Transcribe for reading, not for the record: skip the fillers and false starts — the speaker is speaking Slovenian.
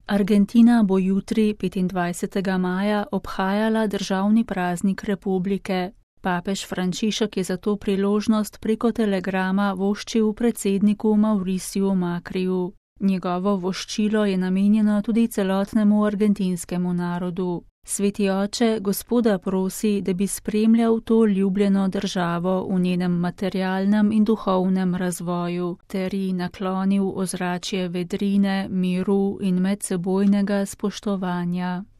Argentina bo jutri, 25. maja, obhajala državni praznik republike. Papež Frančišek je za to priložnost preko telegrama voščil predsedniku Mauriciju Macriju. Njegovo voščilo je namenjeno tudi celotnemu argentinskemu narodu. Sveti oče Gospoda prosi, da bi spremljal to ljubljeno državo v njenem materialnem in duhovnem razvoju, ter ji naklonil ozračje vedrine, miru in medsebojnega spoštovanja.